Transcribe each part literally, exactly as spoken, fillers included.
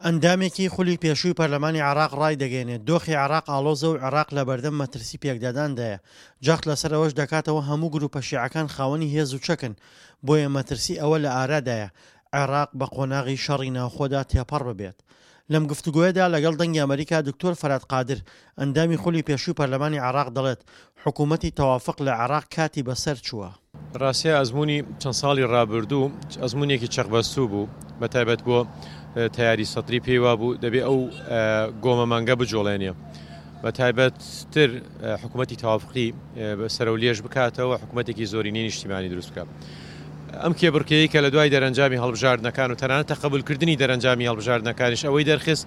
ئەندامێکی خولی پێشووی پەرلەمانی عێراق ڕایدەگەیەنێت، دۆخی عێراق ئاڵۆزە و عێراق لەبەردەم مەترسی پێکداداندایە، جەخت لەسەر ئەوەش دەکاتەوە هەموو گروپە شیعەکان خاوەنی هێز و چەکن، بۆیە مەترسی ئەوە لە ئارادایە عێراق بە قۆناغی شەڕی ناوخۆدا تێپەڕ ببێت. لەم گفتوگۆیەدا لەگەڵ دەنگی ئەمەریکا دکتۆر فەرات قادر، ئەندامی خولی پێشووی پەرلەمانی عێراق دەڵێت، حکوومەتی تەوافق لە عێراق کاتی بەسەر چووە. ڕاستە ئەزموونی چەند ساڵی ڕابردوو ئەزموونێکی چەقبەستوو بوو، بە تایبەت بۆ تەیاری سەدری پێی وابوو دەبێ ئەو گۆمە مانگە بجوڵێنێ، بە تایبەتتر حکوومەتی تەوافقی سەرەو لێژ بکاتەوە، حکوومەتێکی زۆرینەی نیشتیمانی دروست بکات. ئەم کێبڕکێی کە لە دوای دەرەنجامی هەڵبژاردنەکان و تەنانەت تەقەبولکردنی دەرەنجامی هەڵبژاردنەکانیش ئەوەی دەرخست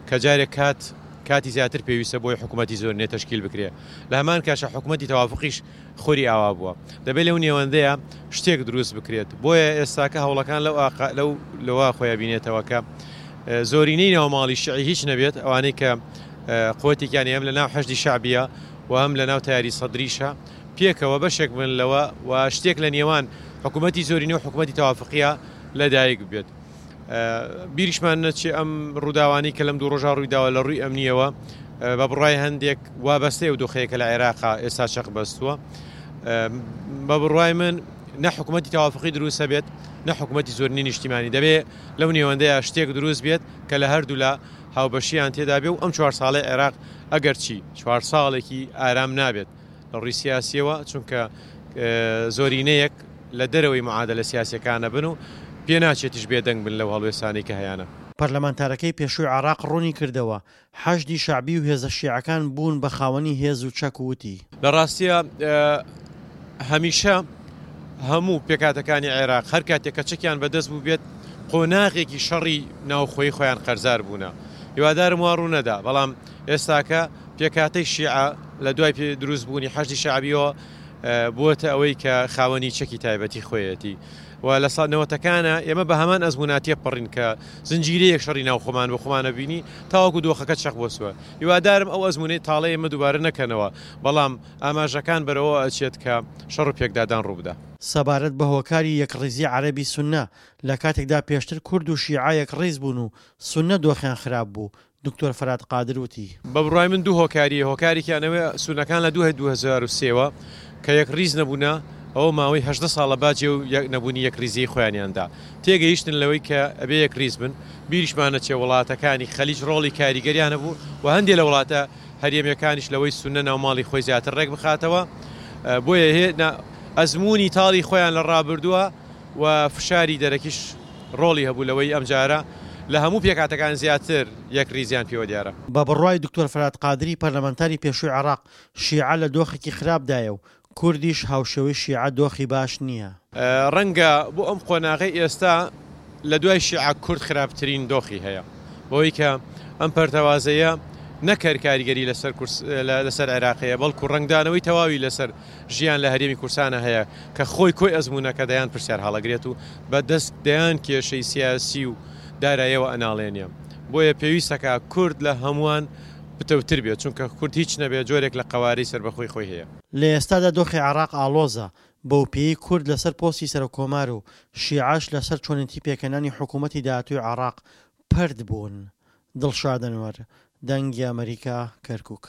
کە جارێک کات کاتی زیاتر پێویستە بۆی حکوومەتی زۆرینە تەشکیل بکرێ. لە هەمان کاتە حکوومەتی تەوافقیش خۆری ئاوا بووە، دەبێت لەو نێوەندەیە شتێک دروست بکرێت. بۆیە ئێستاکە هەوڵەکان لەو لەو لەوە خۆیان بینێتەوە کە زۆرینەی ناوماڵی شیعی هیچ نەبێت، ئەوانەی کە قوتێکیان هەم لە ناو حەشدی شەعبیە و هەم لە ناو تەیاری سەدریشە پێکەوە بەشێک بن لەوە و شتێک لە نێوان حکوومەتی زۆرینە و حکوومەتی تەوافقیە لەدایک بێت. بیریشمان نەچێ ئەم ڕووداوانەی کە لەم دوو ڕۆژا ڕوویداوە لە ڕووی ئەمنیەوە بە بڕای هەندێک وابەستەیە و دۆخەیە کە لە عێراقا ئێستا چەق بەستووە. بە بڕای من نە حکوومەتی تەوافقی دروستە بێت نە حکوومەتی زۆرینەی نیشتیمانی، دەبێت لەو نێوەندەیە شتێک دروست بێت کە لە هەردوولا هاوبەشیان تێدا بێ و ئەم چوار ساڵەی عێراق ئەگەرچی چوار ساڵێکی ئارام نابێت لە ڕووی سیاسیەوە، چونکە زۆرینەیەک لە دەرەوەی معادلە سیاسیەکانە بن و پێ ناچێتیش بێدەنگ بن لەو هەڵوێستانەی کە هەیانە. پەرلەمانتارەکەی پێشووی عێراق ڕوونی کردەوە، حەشدی شەعبی و هێزە شیعەکان بوون بە خاوەنی هێز و چەک وتی. لە ڕاستیە هەمیشە هەموو پێکاتەکانی عێراق هەر کاتێک کە چەکیان بەدەست بوو بێت قۆناغێکی شەڕی ناوخۆی خۆیان قەرزار بوونە. هیوادارم وا ڕوو نەدا، بەڵام ئێستاکە پێکاتەی شیعە لە دوای دروستبوونی حەشدی شەعبیەوە بووەتە ئەوەی کە خاوەنی چەکی تایبەتی خۆیەتی و لە ساڵ نەوەتەکانە ئێمە بە هەمان ئەزموناتیە پەڕین کە زنجیرەیەک شەڕی ناوخۆمان بۆ خۆمانە بینی تاوەکو دۆخەکە چەق بۆسووە. هیوادارم ئەو ئەزمونەی تاڵەی ئێمە دووبارە نەکەنەوە، بەڵام ئاماژەکان بەرەوە ئەچێت کە شەڕ و پێکدادان ڕووبدا. سەبارەت بە هۆکاری یەکڕیزی عەرەبی سوننە لە کاتێکدا پێشتر کورد و شیعە یەکڕیز بوون و سوننە دۆخیان خراپ بوو، دکتۆر فەرات قادر وتی. بە بڕوای من دوو هۆکاریە، هۆکارێکیان ئەوەیە سوننەکان لە دوو هەزار و سێوە کە یەکڕیز نەبوونە، ئەوە ماوەی هەژدە ساڵە باجێ و نەبوونی یەکڕیزیی خۆیانیاندا تێگەیشتن لەوەی کە ئەبێ یەکڕیز بن. بیریشمان نەچێ وڵاتەکانی خەلیج ڕۆڵی کاریگەریان هەبوو و هەندێک لە وڵاتە هەرێمیەکانیش لەوەی سوننە ناوماڵی خۆی زیاتر ڕێک بخاتەوە، بۆیە ئەزمموی تاڵی خۆیان لە ڕابردووە و فشاری دەرەکیش ڕۆڵی هەبوو لەوەی ئەمجارە لە هەموو پێکاتەکان زیاتر یەکڕیزیان پێوە دیارە. بە بڕوای دکتۆر فەرات قادری پەرلەمانتاری پێشووی عێراق، شیعە لە دۆخێکی خراپدایە و کوردیش هاوشێوەی شیعە دۆخی باش نییە. ڕەنگە بۆ ئەم قۆناغەی ئێستا لە دوای شیعە کورد خراپترین دۆخی هەیە، بەوەی کە ئەم پەرتەوازەیە نەکەر کاریگەری لەسەر لەسەر عێراقەیە، بەڵکو ڕەنگدانەوەی تەواوی لەسەر ژیان لە هەرێمی کوردستانە هەیە کە خۆی کۆی ئەزمونەکە دەیان پرسیار هەڵەگرێت و بە دەست دەیان کێشەی سیاسی و دارایەوە ئەناڵێنیە. بۆیە پێویستەکە کورد لە هەمووان پتەوتر بێت، چونکە کورد هیچ نەبێت جۆرێک لە قەوارەی سەربەخۆی خۆی هەیە. لە ئێستادا دۆخی عێراق ئاڵۆزە، بەو پێی کورد لەسەر پۆستی سەرۆک کۆمار و شیعەش لەسەر چۆنێتی پێکهێنانی حکوومەتی داهاتووی عێراق پەرت بوون. دڵشاد ئەنوەر، دەنگی ئەمەریکا، کەرکووک.